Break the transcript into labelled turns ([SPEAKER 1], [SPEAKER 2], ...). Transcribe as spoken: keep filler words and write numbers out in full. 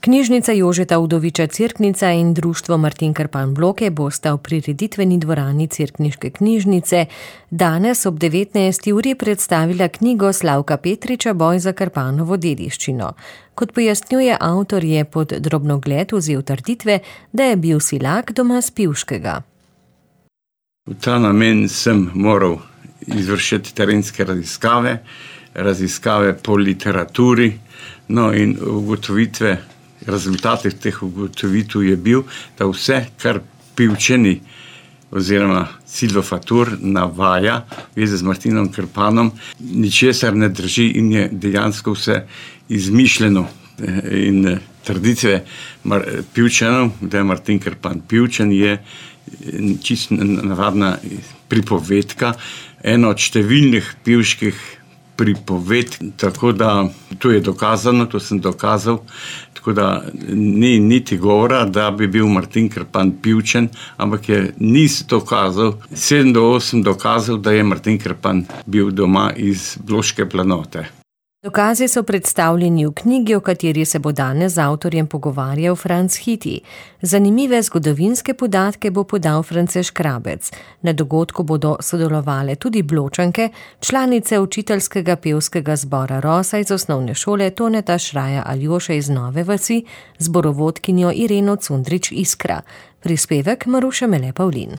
[SPEAKER 1] Knjižnica Jožeta Udoviča Cerknica in društvo Martin Krpan Bloke bosta v prireditveni dvorani Cerkniške knjižnice danes ob devetnajsti uri predstavila knjigo Slavka Petriča Boj za Krpanovo dediščino. Kot pojasnjuje avtor, je pod drobnogled vzel trditve, da je bil Silak doma s Pivškega.
[SPEAKER 2] V ta namen sem moral izvršiti terenske raziskave, raziskave po literaturi, no in ugotovitve, rezultatih teh ugotovitev je bil, da vse, kar Pivčani oziroma Silvo Fatur navaja v zvezi z Martinom Krpanom, ničesar ne drži in je dejansko vse izmišljeno. In tradicije Pivčanov, da je Martin Krpan Pivčan, je čisto navadna pripovedka, ena od številnih pivških pripovedk, tako da to je dokazano, to sem dokazal, tako da ni niti govora, da bi bil Martin Krpan Pivčan, ampak je niz dokazal, sedem do osem dokazal, da je Martin Krpan bil doma iz Bloške planote.
[SPEAKER 1] Dokazi so predstavljeni v knjigi, o kateri se bo danes z avtorjem pogovarjal Franc Hiti. Zanimive zgodovinske podatke bo podal France Škrabec. Na dogodku bodo sodelovale tudi Bločanke, članice učiteljskega pevskega zbora Rosa iz osnovne šole Toneta Šraja Aljoše iz Nove vasi, zborovodkinjo Ireno Cundrič Iskra. Prispevek Maruša Mele Pavlin.